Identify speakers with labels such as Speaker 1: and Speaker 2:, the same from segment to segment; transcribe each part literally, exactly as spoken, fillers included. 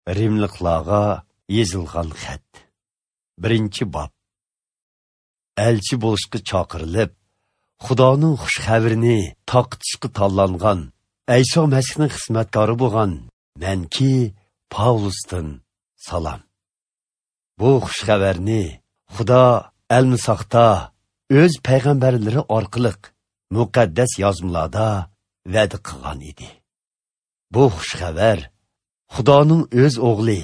Speaker 1: Rimliklarga yezilgan xat. Birinchi bob. Elçi bo'lishga chaqirilib, Xudoning xush xabarini taqitishga tanlangan Ayso Masihning xizmatkori bo'lgan menki Pavlusdan salom. Bu xush xabarni Xudo al-Misaqda o'z payg'ambarlari orqali muqaddas yozmalarda va'da qilgan edi. Bu xush xabar Xudoning o'z o'g'li,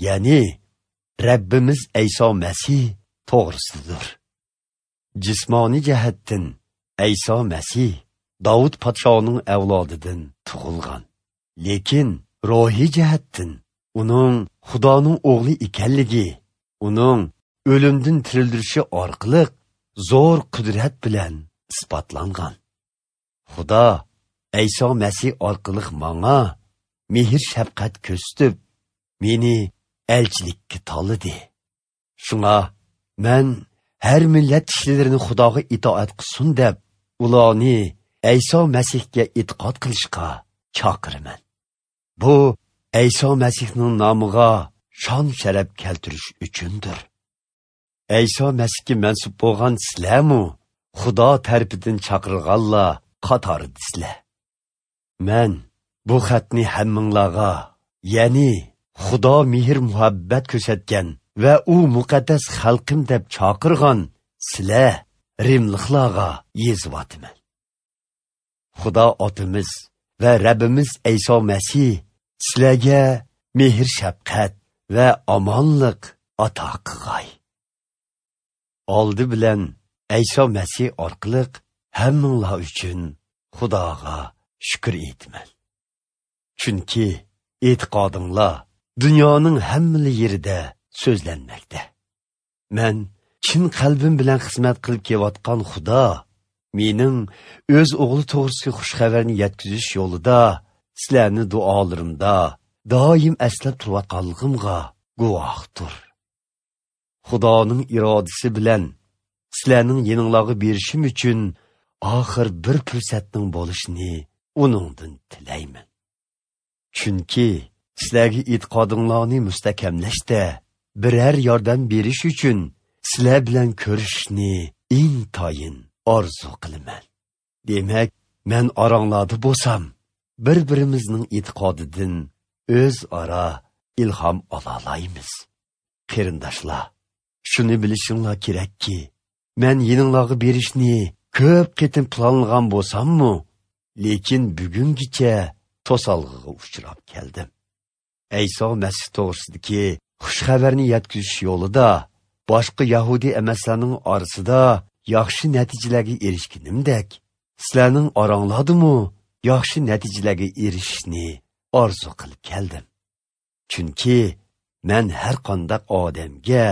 Speaker 1: ya'ni Rabbimiz Ayso Masih to'g'risidir. Jismoniy jihatdan Ayso Masih Davud podshoning avlodidan tug'ilgan. Lekin ruhiy jihatdan uning Xudoning o'g'li ekanligi, uning o'limdan tirildirilishi orqali zo'r qudrat bilan isbotlangan. Xudo Ayso Masih orqali menga mehr shafqat ko'rsatib, meni elchilikka tanladi. Shunga men har millat kishilarini Xudoga itoat qilsin deb, ularni Ayso Masihga e'tiqod qilishga chaqiraman. Bu Ayso Masihning nomiga shon sharaf keltirish uchundir. Ayso Masihga mansub bo'lgan sizlarmi Xudo tarafidan chaqirilganlar qatoridasizlar. Men bu xatni hammanglarga, ya'ni Xudo mehr muhabbat ko'rsatgan va u muqaddas xalqim deb chaqirgan sizlar Rimliklarga yeziyotiman. Xudo otimiz va Rabbimiz Ayso Masih sizlarga mehr shafqat va omonlik ato qilg'ay. Oldi bilan Ayso Masih orqali hammanglar uchun Xudoga shukr etman. Chunki e'tiqodinglar dunyoning hamma yerida so'zlanmoqda. Men chin qalbim bilan xizmat qilib kelayotgan Xudo mening o'z o'g'li to'g'risida xush xabarni yetkazish yo'lida sizlarni duolarimda doim eslab turayotganligimga guvohdir. Xudoning irodasi bilan sizlarning yeninglarga berishim uchun oxir bir fursatning bo'lishini uningdan tilayman. Chunki sizlarga e'tiqodinglarni mustahkamlashda biror yordam berish uchun sizlar bilan ko'rishishni intoyin orzu qilaman. Demak, men oranglarda bo'lsam, bir-birimizning e'tiqodidan o'z ara ilhom ola olamiz. Qarindoshlar, shuni bilishinglar kerakki, men yeninglarga berishni ko'p qatim planlagan bo'lsam-mu, lekin bugungacha to'salg'iga uchrab keldim. Ayso Masih to'g'risidagi xush xabarni yetkazish yo'lida boshqa Yahudi emaslarning orasida yaxshi natijalarga erishganimdek, sizlarning oranglardimi yaxshi natijalarga erishishni orzu qilib keldim. Chunki men har qanday odamga,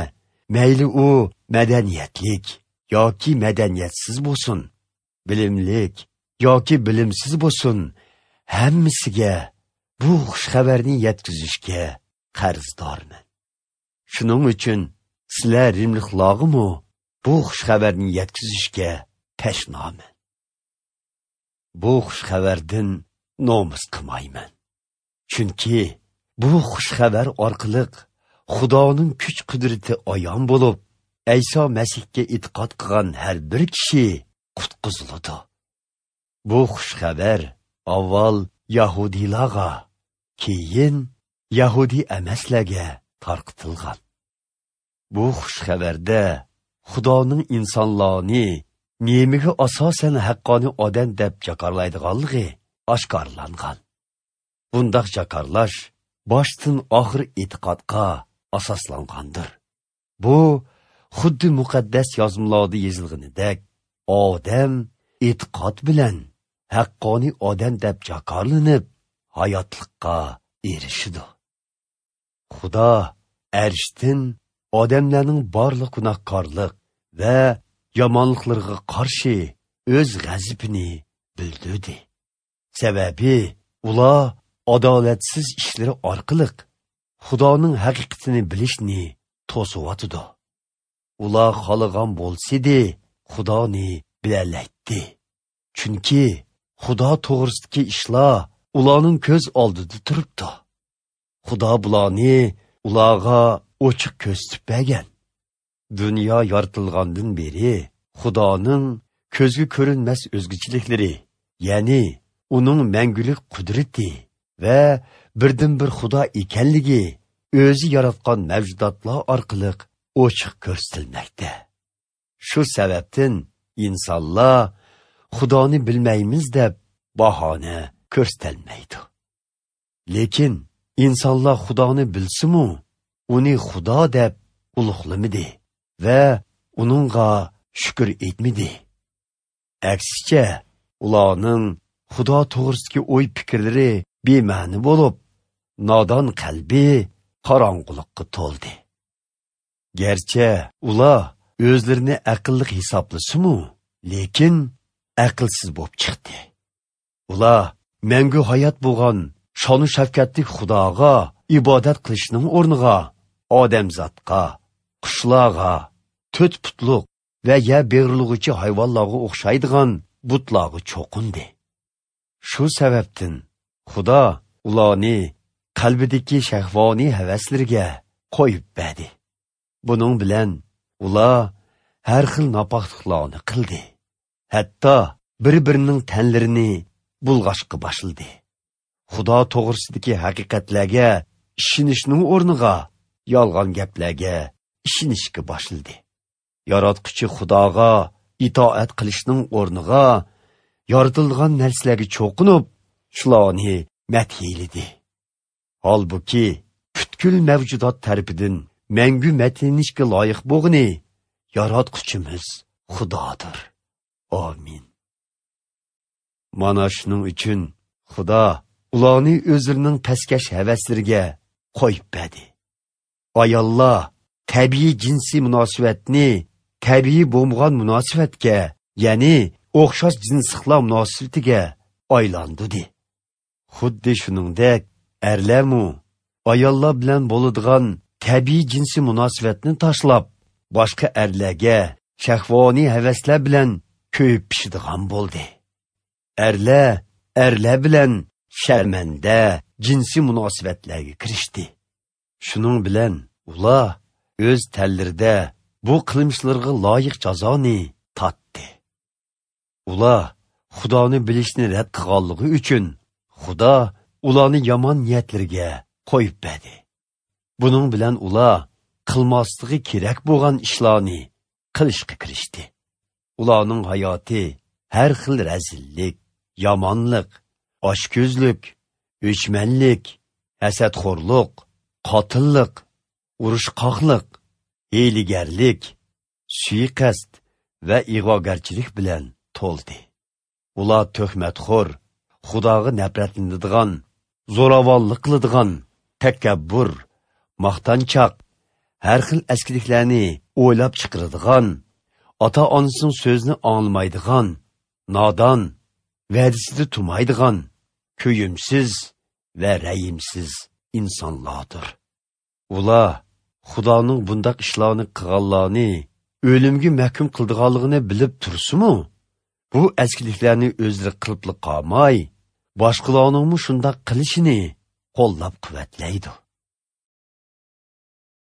Speaker 1: mayli u madaniyatlik yoki madaniyatsiz bo'lsin, bilimlik yoki bilimsiz bo'lsin, hammasiga bu xush xabarni yetkazishga qarzdorman. Shuning uchun sizlar Rimliklargami bu xush xabarni yetkazishga tashnoman. Bu xush xabardan nomus qilmayman. Chunki bu xush xabar orqali Xudoning kuch qudrati ayon bo'lib, Ayso Masihga e'tiqod qilgan har bir kishi qutqiziladi. Bu xush xabar avval Yahudilarga, keyin Yahudi emaslarga tarqatilgan. Bu xush xabarda Xudoning insonlarni nemiga asosan haqqoniy odam deb jakarlaydiganligi oshkorlangan. Bundaq jakarlash boshdan oxir e'tiqodga asoslangandir. Bu xuddi muqaddas yozmalarda yozilganidek, odam e'tiqod bilan haqqoniy odam deb jakarlanib, hayotlikqa erishidi. Xudo arshdan odamlarning barliq gunohkorlik va yomonliklariga qarshi o'z g'azabini bildirdi. Sababi ular adolatsiz ishlari orqali Xudoning haqiqatini bilishni to'siyotdi. Ular xohlagan bo'lsa-da, Xudoni bilalaydi. Chunki Xudo to'g'risidagi ishlar ularning ko'z oldida turibdi. Xudo bularni ularga ochiq ko'rsatib bergan. Dunyo yaratilgandan beri Xudoning ko'zga ko'rinmas o'zgachilikleri, ya'ni uning mangulik qudrati va birdan bir Xudo ekanligi o'zi yaratgan mavjudotlar orqali ochiq ko'rsatilmoqda. Shu sababdan insonlar Xudoni bilmaymiz deb bahona ko'rsatilmaydi. Lekin insonlar Xudoni bilsa-mu, uni Xudo deb ulug'lamadi va uningga shukr etmadi. Aksicha, ularning Xudo to'g'risidagi o'y fikrlari bema'ni bo'lib, nodon qalbi qorong'ulikka to'ldi. Gerçi ular o'zlarini aqlli hisoblasa-mu, lekin aqlsiz bo'lib chiqdi. Ular mangu hayot bo'lgan shonu shafqatli Xudoga ibodat qilishning o'rniga odamzodga, qushlarga, to'rt putliq va ya berilg'uchi hayvonlarga o'xshaydigan butlarga cho'qindi. Shu sababdan Xudo ularni qalbidagi shahvoniy havaslarga qo'yib berdi. Buning bilan ular har xil nopokliklarni qildi. Hatto bir-birining tanlarini bulg'ashqa boshladi. Xudo to'g'risidagi haqiqatlarga ishonishning o'rniga yolg'on gaplarga ishonishga boshladi. Yaratquchi Xudoga itoat qilishning o'rniga yaratilgan narsalarga cho'qinib, shularni madhiyaladi. Holbuki butkul mavjudot tarafidan mangu madhinishga loyiq bo'lgani yaratquchimiz Xudodir. Amin. Mana shuning uchun Xudo ularni o'zining pastkash havaslariga qo'yib berdi. Ayollar tabiiy jinsiy munosabatni tabiiy bo'lmagan munosabatga, ya'ni o'xshash jinsliqlar munosabatiga aylantirdi. Xuddi shuningdek, erlarmu ayollar bilan bo'ladigan tabiiy jinsiy munosabatni tashlab, boshqa erlarga shahvoniy havaslar bilan ko'p pishadigan bo'ldi. Erlar erlar bilan sharmanda jinsiy munosabatlarga kirishdi. Shuning bilan ular o'z tanlarida bu qilmishlarga loyiq jazoni tatdi. Ular Xudoni bilishni rad qilganligi uchun Xudo ularni yomon niyatlarga qo'yib berdi. Buning bilan ular qilmosligi kerak bo'lgan ishlarni qilishga kirishdi. Ularning hayoti har xil razillik, yomonlik, ochko'zlik, o'chmanlik, hasadxo'rlik, qotillik, urushqoqlik, hiylagarlik, suiqasd va ig'vogarchilik bilan to'ldi. Ular tuhmatxo'r, Xudoga nafratlanadigan, zo'ravonlik qiladigan, takabbur, maqtanchoq, har xil askiliklarni o'ylab chiqaradigan, ota-onasining so'zini anglamaydigan, nodon, va'dasida turmaydigan, ko'yimsiz va rayimsiz insonlardir. Ular Xudoning bundoq ishlarni qilganlarni o'limga mahkum qildiganligini bilib tursa-mu, bu askiliklarni o'zlari qilib qolmay, boshqalarning shundoq qilishini qo'llab quvvatlaydi.